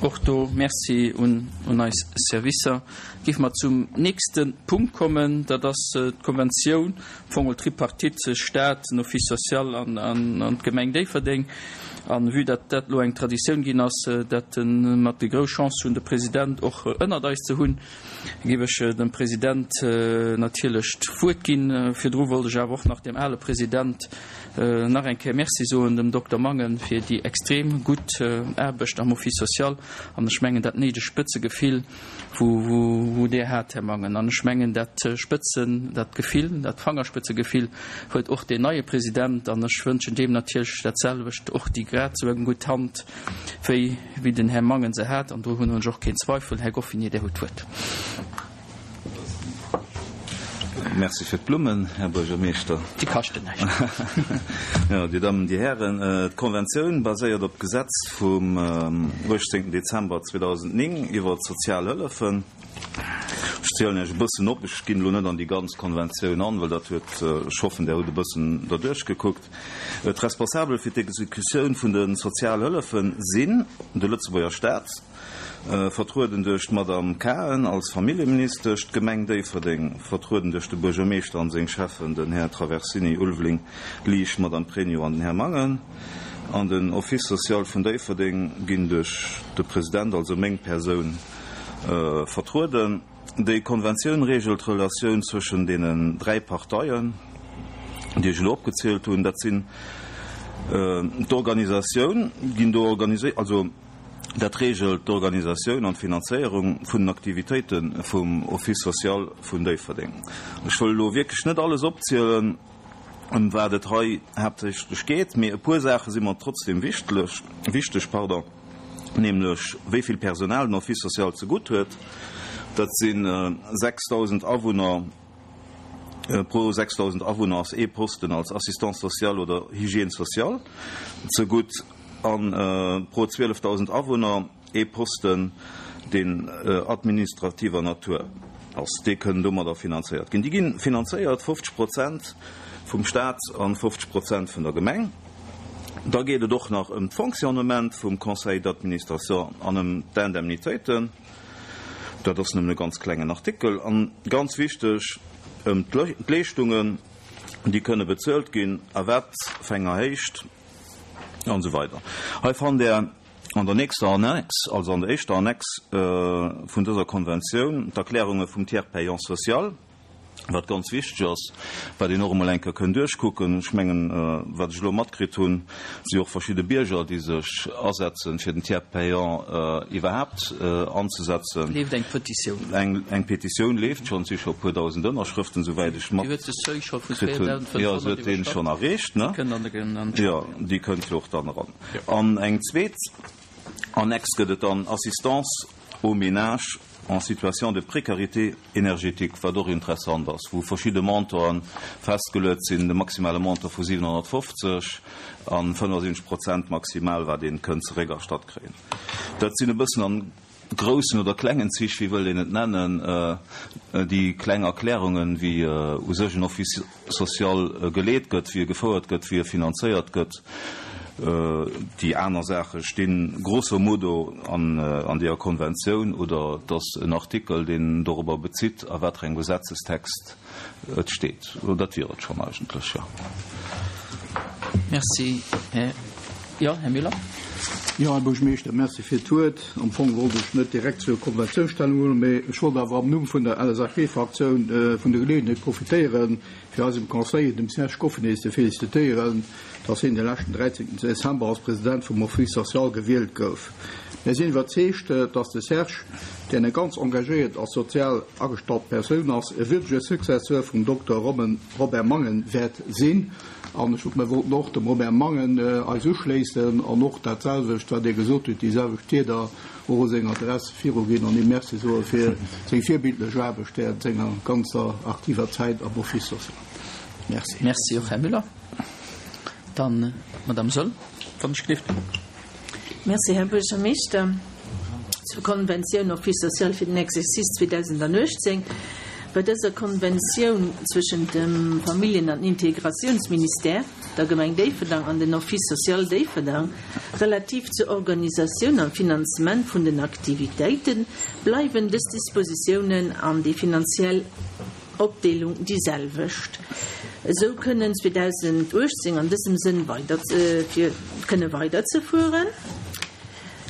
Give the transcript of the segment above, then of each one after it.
Och do Merci un eis Servicer. Géife mer zum nächste Punkt kommen, dat ass d'Konventioun, am Fong geholl d'Tripartite Stat, den Office social an d'Gemeng Déifferdeng. A vue dat dat elo eng Traditioun ginn ass, dat mer déi grouss Chance hunn, de President och ënnert eis ze hunn, géif ech dem President natierlech d'Wuert ginn. Virdru wollt ech awer och nach dem ale President nach eng Kéier Merci soen, dem Dokter Mangen, fir déi extrem gutt Aarbecht am Office social. An ech mengen, dat néidegt Spëtzegefill, wou Dir hat, Här Mangen, an ech mengen, dat Spëtzen, dat Gefill, dat Fangerspëtzegefill huet och deen neie President, an ech wënschen deem natierlech dat selwecht, och déi grad esou eng gutt Hand, wéi wéi den Här Mangen se hat, an do hunn ech och keen Zweifel. Här Goffinet, Dir hutt d'Wuert. Merci fir d'Blummen, Här Buergermeeschter. Déi kaschten näischt. Jo, Dir Dammen, Dir Hären, d'Konventioun baséiert op d'Gesetz vum 18. Dezember 2009 iwwer d'sozial Hëllefen. Ech zielen Iech e bëssen op, ech ginn elo net an déi ganz Konventioun an, well dat huet, ech hoffen, Der hutt e bëssen derduerch gekuckt. D'Responsabel fir d'Exekutioun vun de Sozialhëllefen sinn de Lëtzebuerger Staat, vertrueden duerch d'Madame Cahen als Familljeministesch, d'Gemeng Déifferdeng, vertrueden duerch de Buergermeeschter an seng Schäffen, den Här Traversini, Ulveling, Liesch, d'Madame Pregno an den Här Mangen, an den Office social vun Déifferdeng ginn duerch de President, also meng Persoun, vertrueden. Déi Konventioun reegelt d'Relatioun zwëschen deenen 3 Parteien, déi ech elo opgezielt hunn. Dat sinn d'Organisatioun, ginn do organiséiert, also dat reegelt d'Organisatioun an d'Finanzéierung vun den Aktivitéite vum Office social vun Déifferdeng. Ech wëll elo wierklech net alles opzielen, ëm wat et hei haaptsächlech geet, mee e puer Saache si mer trotzdem wichteg. Nämlech wéi vill Personal den Office social zegutt huet. Dat si 6.000 Awunner. Pro 6.000 Awunner ass ee Posten als Assistant social oder Hygiène sociale zegutt a pro 12.000 Awunner ee Posten, deen administrativer Natur ass. Déi kënnen domadder finanzéiert ginn. Déi gi finanzéiert 50 Prozent vum Staat a 50 Prozent vun der Gemeng. Da geet et och nach ëm d'Fonctionnement vum Conseil d'administration an ëm d'Indemnitéiten. Dat ass nëmmen e ganz klengen Artikel. An ganz wichteg, ëm d'Leeschtungen, déi kënne bezuelt ginn, a wat fir enger Héicht an esou weider. Hei fannt Der an der nächster Annex, also an der éischter Annex vun dëser Konventioun, d'Erklärunge vum Tiers payant social. Wat ganz wichteg ass, wat een och emol eng Kéier kënn duerchkucken, ech mengen, wat ech elo matkritt hunn, si och verschidde Bierger, déi sech asetzen, fir den Tiers payant iwwerhaapt anzesetzen. Leeft eng Petitioun? Eng Petitioun leeft schonn, et si scho e puer dausend Ënnerschrëften, souwäit ech matkritt hunn. Jo, se huet deen schonn erreecht, ne? Jo, déi kënnt jo och dann eran. An eng zweet Annex gëtt et dann, Assistance aux ménages en situation de précarité énergétique, wat och interessant ass, wou verschidde Montanten festgeluet sinn, de maximale Montant vu 750 a 75 Prozent maximal, wat ee kënnt zeréckerstatt kréien. Dat sinn e bëssen an groussen oder klengen Zich, wéi wëllt een et nennen, déi kleng Erklärungen, wéi u sech en Office social geleet gëtt, wéi e gefouert gëtt, wéi e finanzéiert gëtt. Déi aner Saache sti grosso modo an deeër Konventioun oder et ass en Artikel, deen dorobber bezitt, a wat fir engem Gesetzestext et steet. Dat wier et schonn eigentlech, jo. Merci, Här, jo, Här Müller. Jo, Här Buergermeeschter, merci fir d'Wuert. Am Fong wollt ech net direkt zur Konventioun Stellung huelen, mee ech wollt awer am Numm vun der LSAP-Fraktioun vun der Geleeënheet profitéieren, fir eisem Conseiller, dem Serge Goffinet, ze felicitéieren, dass hien de leschten 13 Dezember als President vum Office social gewielt gouf. Mir sinn iwwerzeegt, dass de Serge, deen eng ganz engagéiert a sozial agestallt Persoun ass, e würdege Successeur vum Dokter Robert Mangen wäert sinn. An ech mir wollten och dem Robert Mangen eis uschléissen an och dat selwecht, wat Dir gesot hutt, déi selwecht Wierder och u seng Adress viruginn an him Merci soe fir seng virbildlech Aarbecht während senger ganzer aktiver Zäit am Office social. Merci. Merci och, Här Müller. Dann d'Madame Soll, wann ech gelift. Merci, Här Buergermeeschter. Zur Konventioun Office social fir den Exercice 2018. Bei dëser Konventioun zwëschent dem Familljen an Integratiounsministère, der Gemeng Déifferdang an den Office social Déifferdang relativ zur Organisatioun an Finanzement vun den Aktivitéiten, bleiwen dës Dispositiounen an déi finanziell Opdeelung déi selwecht. Esou kënnen 2018 an dësem Sënn weider fir kënne weiderzefueren.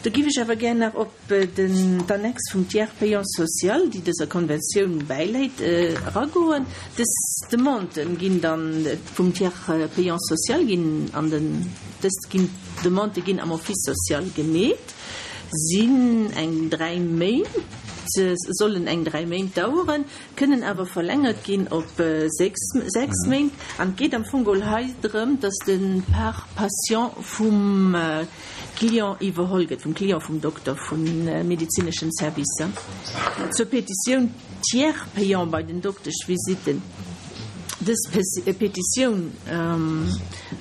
Do giff ech awer gär nach op den d'Annex vum Tiers payant social, déi dëser Konventioun bäiläit, eragoen. Dës Demanden ginn dann vum Tiers payant social ginn an den, dës ginn, Demandë ginn am Office social gemeet, sinn eng 3 Méint, sollen eng 3 Méint daueren, kënnen awer verlängert ginn op 6, 6 Méint. An et geet am Fong geholl hei drëm, dass de Par patient vum Client iwwerholl gëtt, vum Client, vum Dokter, vu medezineschen Servicer. Zur Petitioun Tiers payant bei den Dokteschvisitten, Dës Petitioun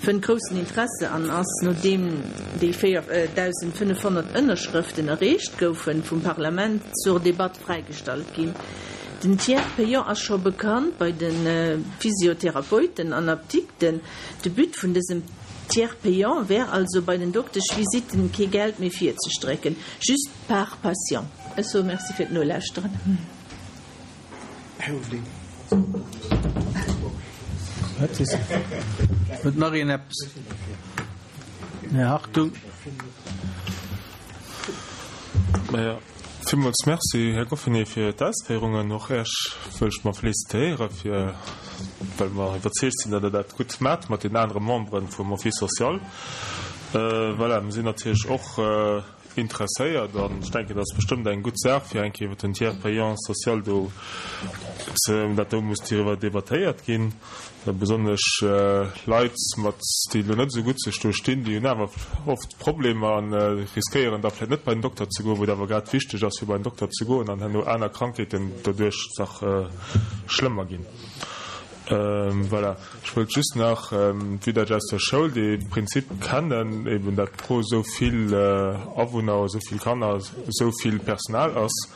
fënnt groussen Interesse an ass, nodeem déi 4.500 Ënnerschrëften erreecht goufen, vum Parlament zur Debatt fräigestallt ginn. Den Tiers payant ass scho bekannt bei de Physiotherapeuten an Apdikten. De But vun dësem Tiers payant wär also bei den Dokteschvisitten kee Geld méi virzestrécken, just par patient. Ech soe Merci fir d'Nolauschteren. Här Houfling. Huet nach een eppes? Här Hartung. Maja. Villmools Merci, Här Goffinet, fir d'Ausféierungen. Och Iech wëll ech mer félicitéiere fir, well mer iwwerzeegt sinn, datt Der dat gutt maacht mat den anere Membere vum Office social. Voilà, mir sinn natierlech och interesséiert an ech denken, dat ass bestëmmt eng gutt Saach, fir eng Kéier iwwer den Tiers payant social do ze, dat do muss doriwwer debattéiert ginn. Besonnesch Leit mat, déi elo net esou gutt sech do stinn, déi hunn awer oft Problemer an riskéieren da vläicht net bei den Dokter ze goen, wou et awer grad wichteg ass fir bei den Dokter ze goen an herno aner Krankheeten doduerch nach schlëmmer ginn. Voilà. Ech wëllt just nach, vue dat ech aus der Schoul dee Prinzip kennen, eben dat pro esou vill Awunner, esou vill Kanner, esou vill Personal ass,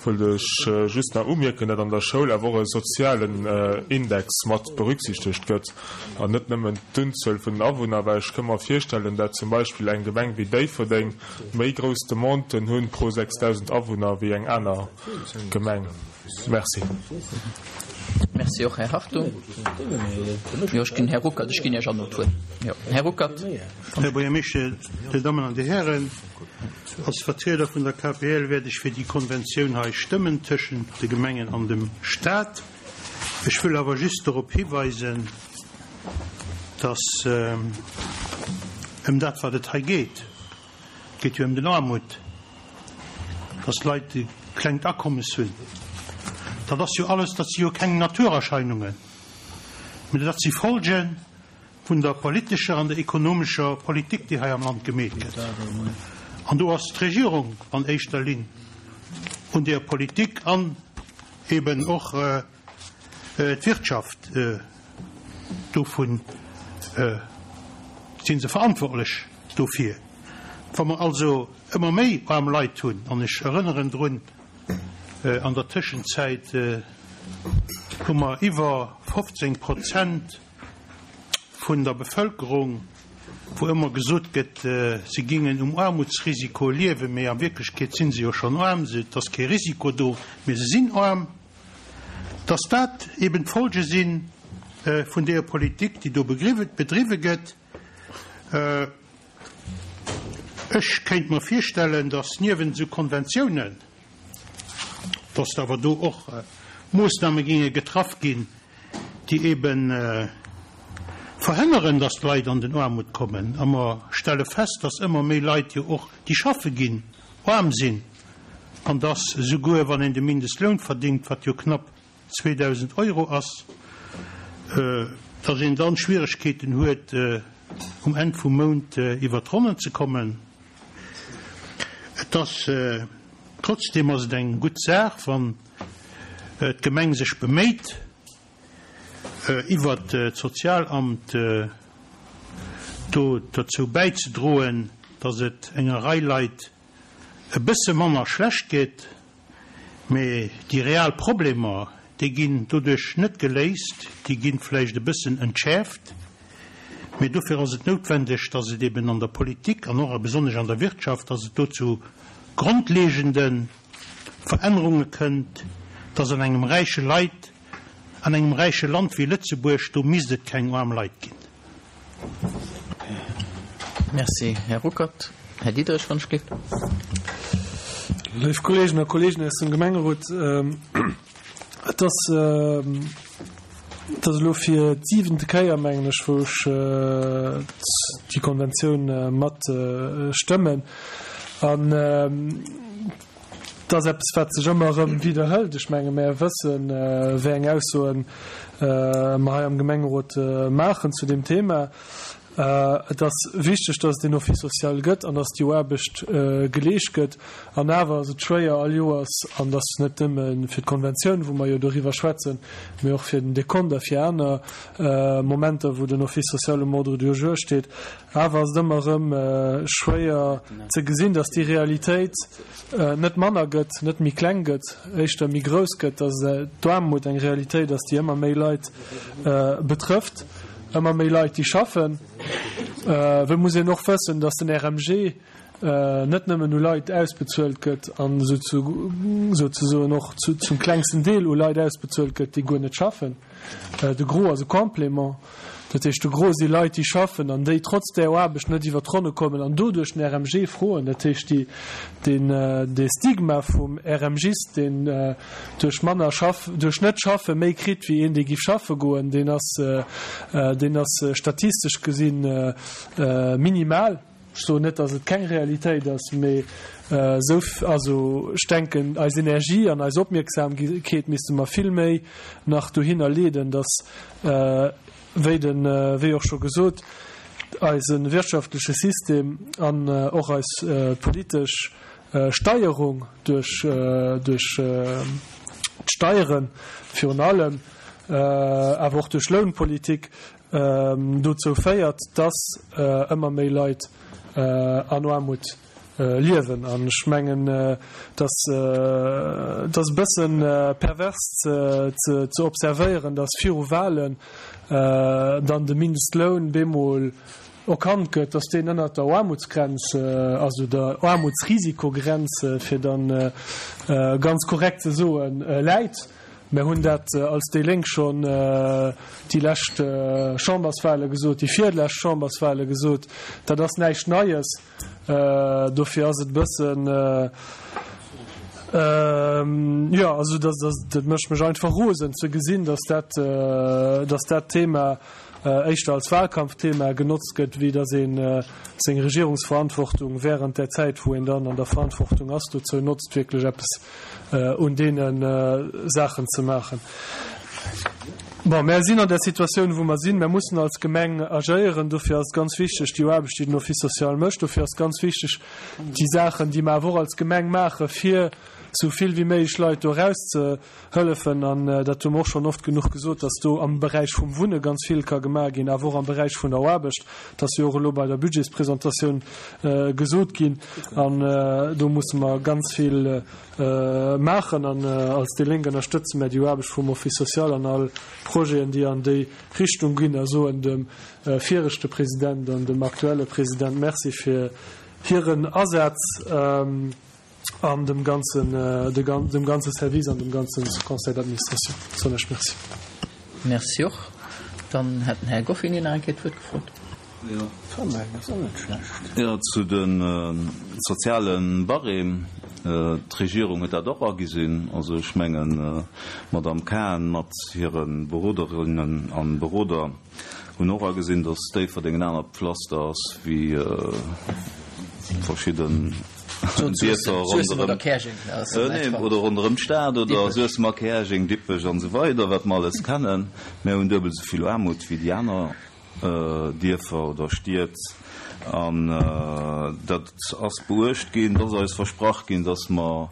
Wëllt ech just nach umierken, dat an der Schoul awer och e sozialen Index mat berücksichtegt gëtt an net nëmmen d'Unzuel vun den Awunner, well ech ka mer virstellen, dat zum Beispill eng Gemeng wéi Déifferdeng méi grouss Demanden hunn pro 6.000 Awunner wéi eng aner Gemeng. Merci. Merci och, Här Hartung. Jo, ech ginn, Här Ruckert, ech ginn Iech an no d'Wuert. Jo, Här Ruckert. Här Buergermeeschter, Dir Dammen an Dir Hären, Als Vertrieder vun der KPL wäert ech fir déi Konventioun hei stëmmen tëschent de Gemengen an dem Stat. Ech wëll awer just dorop hiweisen, dass ëm dat, wat et hei geet, et geet jo ëm den Aarmut, dass d'Leit e klengt Akommes hunn, dat ass jo alles, dat si jo keng Naturerscheinungen, mä dat si Folgen vun der politescher an der ekonomescher Politik, déi hei am Land gemeet gëtt. An do ass d'Regierung an éischter Linn un deer Politik an eben och d'Wirtschaft, dovun si se verantwortlech dofir. Wa mer also ëmmer méi aarm Leit hunn, an ech erënneren drun, an der Tëschenzäit hu mer iwwer 15 Prozent vun der Bevëlkerung, wou ëmmer gesot gëtt, si gingen um Aarmutsrisiko liewen, mee a Wierklechkeet si se jo schonn aarm, et ass kee Risiko do, mee se sinn aarm, dass dat eben d'Folge si vun deeër Politik, déi do bedriwwe gëtt. Ech kéint mer virstellen, dass niewent esou Konventiounen, dass awer do och Moossname ginge getraff ginn, déi ebe verhënneren, dass d'Leit an den Aarmut kommen. A mer stelle fest, dass ëmmer méi Leit jo och, déi schaffe ginn, aarm sinn an dass esouguer, wann een de Mindestloun verdingt, wat jo knapp 2.000 Euro ass, dass een dann Schwieregkeeten huet, um Enn vum Mount iwwert d'Ronnen ze kommen. Et ass, trotzdem ass et eng gutt Saach, wann d'Gemeng sech beméit, iwwert d'Sozialamt do dozou bäizedroen, dass et enger Rei Leit e bësse manner schlecht geet. Mee déi real Problemer, déi ginn doduerch net geléist, déi gi vläicht e bëssen entschäerft, mee dofir ass et noutwendeg, dass et eben an der Politik an och a besonnesch an der Wirtschaft, dass et do zu grondlegende Verännerunge kënnt, dass an engem räiche Leit, an engem räiche Land wéi Lëtzebuerg, do misst et keng aarm Leit ginn. Merci, Här Ruckert. Här Diderich, wann ech géif. Léif Kolleegen a Kolleeginnen aus dem Gemengerot, et ass, et ass elo fir d'siwente Kéier, mengen ech, wou ech déi Konventioun mat stëmmen. An et ass eppes, wat sech ëmmer erëm widderhëlt. Ech menge mär wëssen, wéi eng Aussoen mer hei am Gemengerot maachen zu deem Thema. Et ass wichteg, dass et deen Office social gëtt an dass déi Aarbecht geleescht gëtt. An awer ass et schwéier all Joers, an dat ass net nëmme fir d'Konventioun, wou mer jo doriwwer schwätzen, mee och fir den Dekont a fir aner Momenter, wou den Office social um Ordre du jour steet, awer ass et ëmmer erëm schwéier ze gesinn, dass déi Realitéit net manner gëtt, net méi kleng gëtt, éischter méi grouss gëtt, dass d'Aarmut eng Realitéit ass, déi ëmmer méi Leit betrëfft. Ëmmer méi Leit, déi schaffen. Well muss een och wëssen, datt den RMG net nëmmen u Leit ausbezuelt gëtt an souzesoen och zum klengsten Deel u Leit ausbezuelt gëtt, déi guer net schaffen. De Gros ass e Complément. Dat heescht, de Gros si Leit, déi schaffen an déi trotz där Aarbecht net iwwer d'Ronne kommen an doduerch den RMG froen. Dat heescht, dee Stigma vum RMGist, deen duerch manner schaff, duerch net schaffe méi kritt wéi een dee giff schaffe goen, deen ass, deen ass statistesch gesinn minimal. Ech soen net, datt et keng Realitéit ass, mee esou, also ech denken eis Energie an eis Opmierksamkeet misste mer vill méi nach dohinner leeden, datt, wéi den, wéi och scho gesot, eise wirtschaftleche System an och eis politesch Steierung duerch duerch d'Steiere virun allem, awer och duerch Lounpolitik dozou féiert, dass ëmmer méi Leit an Aarmut liewen. An ech mengen, dass et ass e bësse pervers ze ze observéieren, dass viru Wahlen dann de Mindestloun bemol Erkannt gëtt, dass deen ënnert der Aarmutsgrenz, also der Aarmutsrisikogrenz, fir dann ganz korrekt ze soen, läit. Mir hunn dat als déi Lénk schonn déi lescht Chamberswahle gesot, déi virlescht Chamberswahle gesot. Dat ass näischt Neies. Dofir ass et e bëssen, jo, also dat mécht mech einfach rosen ze gesinn, dass dat, dass dat Thema, éischter als Wahlkampfthema genotzt gëtt, wéi datt ee seng Regierungsverantwortung während där Zäit, wou een dann an der Verantwortung ass, dozou notzt, wierklech eppes un deene Saachen ze maachen. Bon, mär sinn an där Situatioun, wou mer sinn. Mär mussen als Gemeng agéieren. Dofir ass et ganz wichteg, déi Aarbecht, déi den Office social mécht. Dofir ass et ganz wichteg, déi Saachen, déi mer awer och als Gemeng maachen, fir esou vill wéi méiglech Leit do erausze Hëllefen, an dat hu mer och schonn oft genuch gesot, dass do am Beräich vum Wunne ganz vill ka gemaach ginn, awer och am Beräich vun der Aarbecht. Dat ass jo och elo bei der Budgetspresentatioun gesot ginn. An do musse mer ganz vill maachen. An als déi Lénk ënnerstëtze mer déi Aarbecht vum Office social an all Projeten, déi an déi Richtung ginn, a soen dem viregte President an dem aktuelle President Merci fir hiren Asaz. An dem ganzen, dem ganze Service an dem ganze Conseil d'administration soen ech Merci. Merci och. Dann hätt den Här Goffinet nach eng Kéier d'Wuert gefrot. Jo, zu de soziale Barème. D'Regierung huet dat och agesinn. Also ech mengen, d'Madame Cahen mat hire Beroderinnen a Beroder hunn och agesinn, datt Déifferdeng en anert Pflaster ass wéi verschidden Dierfer ronderëm, nee, oder ronderëm d'Stad oder Suessem a Käerjeng, Dippech an esou weider, wat mer alles kennen. Mär hunn duebel esou vill Aarmut wéi déi aner Dierfer oder Stied. An dat ass beuecht ginn, et ass eis versprach ginn, dass mer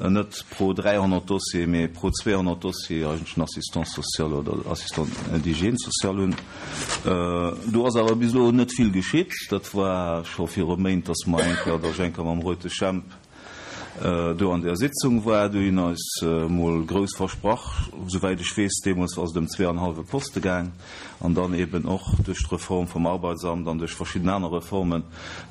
Net pro 300 Dossier, mee pro 200 Dossier eigentlech en Assistant social oder Assistant d'hygiène sociale hunn. Do ass awer bis elo net vill geschitt. Dat war scho viru Méint, dass mer eng Kéier, dass ech eng Kéier mam Reutesch Jemp. Do an där Sitzung war, do hunn eis mol grouss versprach, souwäit ech weess, deemools ass et ëm zweeanhallwe Poste gaang, an dann eben och duerch d'Reform vum Arbeitsamt an duerch verschidden aner Reformen,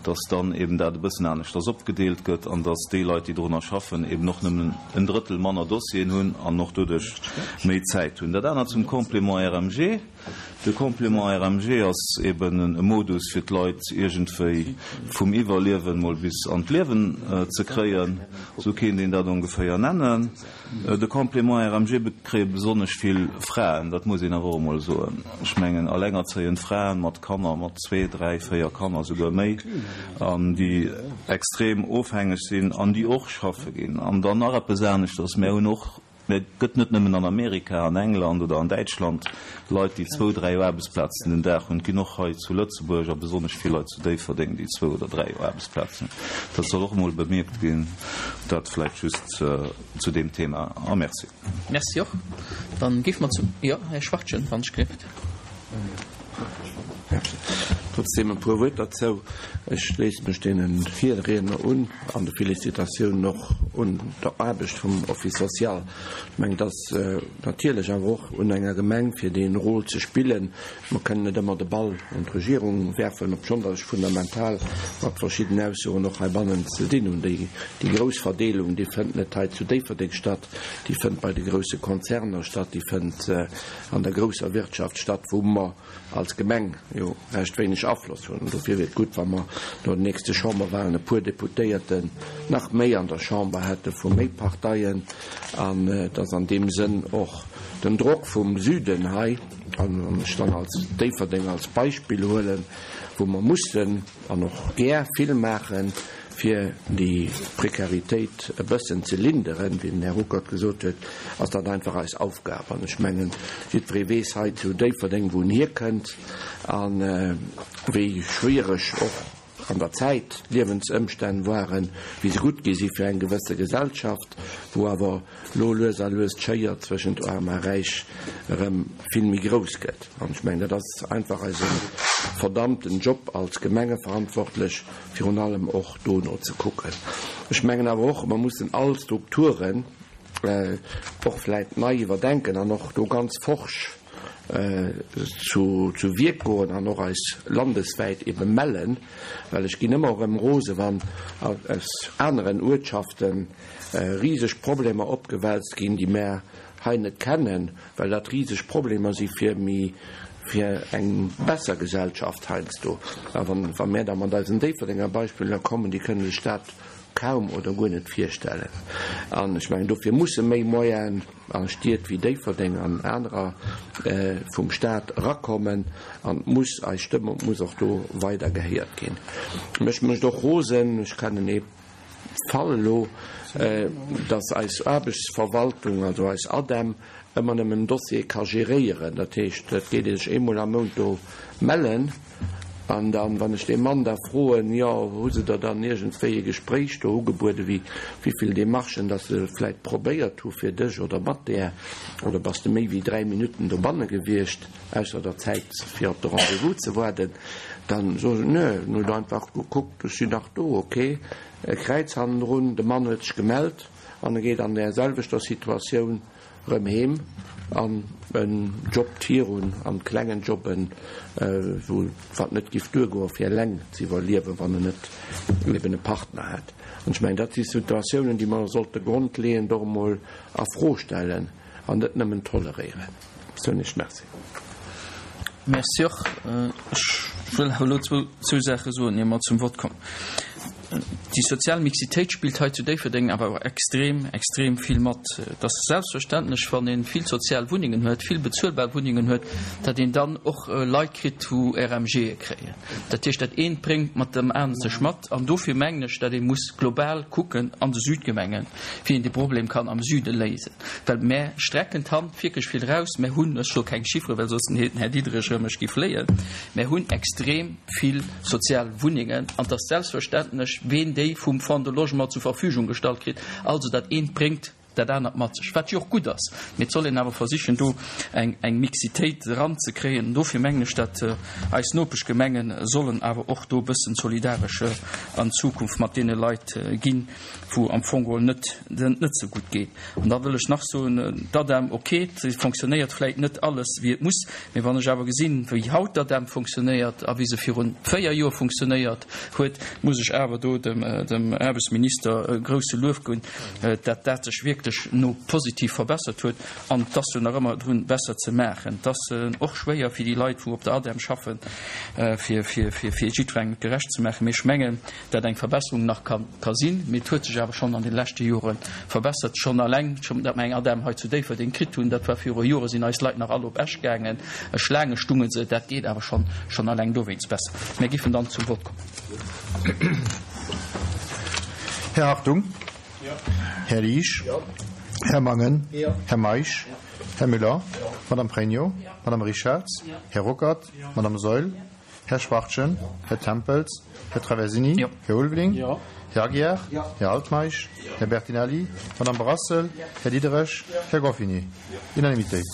dass dann eben dat e bëssen aneschters opgedeelt gëtt an dass déi Leit, déi dorunner schaffen, eben och nëmmen en Drëttel manner Dossieren hunn an och doduerch méi Zäit hunn. Dat anert zum Complément RMG. De Complément RMG ass eben e Modus, fir d'Leit iergendwéi vum Iwwerliewen mol bis an d'Liewen ze kréien, esou kéint een dat ongeféier nennen. De Complément RMG kréie besonnesch vill Fraen, dat muss een awer och emol soen. Ech mengen allengerzéiend Fraen mat Kanner, mat zwee, dräi, véier Kanner, souguer méi, an déi extrem ofhängeg sinn an déi och schaffe ginn. An dann nach eppes aneschters, Mär hunn och Mä et gëtt net nëmmen an Amerika, an England oder an Däitschland Leit, déi zwou, dräi Aarbechtsplazen den Dag hunn. Et ginn och hei zu Lëtzebuerg a besonnesch vill Leit zu Déifferdeng, déi zwou oder dräi Aarbechtsplazen hunn. Dat soll och emol bemierkt ginn. Dat vläicht just zu deem Thema. A Merci. Merci och. Dann géife mer zum, jo, Här Schwachtgen, wann ech gelift. Trotzdem e puer Wuert derzou. Ech schléisse mech deene Virriedner un an de Félicitatiounen och un der Aarbecht vum Office social. Ech mengen, et ass natierlech awer och un enger Gemeng, fir dee Rôle ze spillen. Mer kënnen net ëmmer de Ball un d'Regierung werfen, obschonn datt ech fundamental mat verschidden Aussoen och heibannen ze dinn hunn. Déi grouss Verdeelung, déi fënnt net hei zu Déifferdeng statt, déi fënnt bei de grousse Konzerner statt, déi fënnt an der grousser Wirtschaft statt, wou mer als Gemeng jo recht wéineg Afloss hunn. Dofir wier et gutt, wa mer no den nächste Chamberwahlen e puer Deputéierten nach méi an der Chamber hätte vu méi Parteien an dass an deem Sënn och den Drock vum Süden hei, an wann ech dann als Déifferdeng als Beispill huelen, wou mer mussen an och gär vill maachen, Fir déi Prekaritéit e bëssen ze linderen, wéi den Här Ruckert gesot huet, ass dat einfach eis Aufgab. An ech mengen, jiddweree weess hei zu Déifferdeng, wou en hierkënnt a wéi schwiereg och an der Zäit d'Liewensëmstänn waren, wéi se gutt gi si fir eng gewësse Gesellschaft, wou awer lo lues a lues d'Schéier zwëschent Aarm a Räich erëm vill méi grouss gëtt. An ech mengen, dat ass einfach eise verdammten Job als Gemengeverantwortlech, virun allem och dono ze kucken. Ech mengen awer och, mer mussen all Strukturen och vläit nei iwwerdenken an och do ganz forsch zu Wierk goen an och eis landeswäit ebe mellen, well ech ginn ëmmer erëm rose wann aus aneren Uertschaften riseg Problemer opgewälzt ginn, déi mär hei net kennen, well dat riseg Problemer si fir méi, fir eng besser Gesellschaft heiansdo. A wann, wa mär da mat eisen Déifferdenger Beispiller kommen, déi kënne sech dat kaum oder guer net virstellen. An ech mengen, dofir musse méi Moyenen a Stied wéi Déifferdeng an anerer vum Stat erakommen an et muss, eis Stëmm muss och do weider gehéiert ginn. Mech mécht och rosen, ech kennen ee Fall elo, dass eis Aarbechtsverwaltung, also eis ADEM, ëmmer nëmmen en Dossier ka geréieren. Dat heescht, et geet ee sech eemol am Mount do mellen an dann, wann ech dee Mann da froen, jo, hu se der dann iergendwéi e Gespréich do ugebueden, wéi wéivill Demarchen dass se vläicht probéiert hu fir dech oder mat där, oder bass de méi wéi 3 Minutten dobanne gewiescht, ausser der Zäit fir op de Rendez-vous ze waarden, dann soe se, nö, en huet einfach gekuckt, ech sinn nach do, ok, e Kräiz hannendrun, de Mann huet sech gemellt an e geet an där selwechter Situatioun rëm heem an en jobbt virun an klengen Jobben, wou wat net giff duergoen fir eleng ze iwwerliewen, wann en net eben e Partner hätt. An ech mengen, dat si Situatiounen, déi mer sollte grondleeënd och emol a Fro stellen an net nëmmen toleréieren. Soen ech Merci. Merci och. Ech wëll awer elo zwou Saache soen, ier mer zum Vott kommen. Déi sozial Mixitéit spillt hei zu Déifferdeng awer och extrem, extrem vill mat. Et ass selbstverständlech, wann ee vill sozial Wunnengen huet, vill bezuelbar Wunnengen huet, datt een dann och Leit kritt, wou RMGe kréien. Dat heescht, dat eent bréngt mat dem anere sech mat. An dofir mengen ech, datt ee muss global kucken an de Südgemengen, wéi een dee Problem kann am Süde léisen. Well mär strecken d'Hand wierklech vill eraus. Mär hunn, ech soe keng Chiffere, well soss den Här Diderich erëm mech géif léien, mär hunn extrem vill sozial Wunnengen an et ass selbstverständlech, ween déi vum Fonds de Logement zur Verfügung gestallt kritt. Also dat eent bréngt dat anert mat sech, wat jo och gutt ass. Mee et soll een awer versichen, do eng Mixitéit eranzekréien. An dofir mengen ech, datt eis Nopeschgemenge sollen awer och do e bëssen solidaresch an Zukunft mat deene Leit ginn. Wou am Fong geholl net, net sou gutt geet. An da wëll ech nach soen, d'ADEM, ok, se fonctionnéiert vläit net alles wéi et muss, mee wann ech awer gesinn, wéi haut d'ADEM fonctionnéiert a wéi se virun 4 Joer fonctionnéiert huet, muss ech awer do dem, dem Aarbechtsminister e grouse Luef ginn, dat dat sech wierklech no positiv verbessert huet. An et ass jo nach ëmmer drun, besser ze maachen. Et ass och schwéier fir déi Leit, wou op der ADEM schaffen, fir, fir, fir, fir jiddwerengem et gerecht ze maachen. Mee ech mengen, dat eng Verbesserung nach ka ka sinn, mee et huet sech awer schonn an de leschte Jore verbessert. Schonn alleng, dat mer eng ADEM hei zu Déifferdeng kritt hunn, dat war viru Jore sinn eis Leit nach all op Esch gaangen, Schlaange stunge se, dat geet awer schonn, schonn alleng dowéinst besser. Mir giffen dann zum Vott kommen. Här Hartung. Här Liesch. Här Mangen. Här Meisch. Här Müller. Madame Pregno. Madame Richarz. Här Ruckert. Madame Saeul. Här Schwachtgen, Här Tempels, Här Traversini, Här Ulveling, Här Aguiar, Här Altmeisch, Här Bertinelli, Madame Brassel, Här Diderich, Här Goffini. Unanimitéit.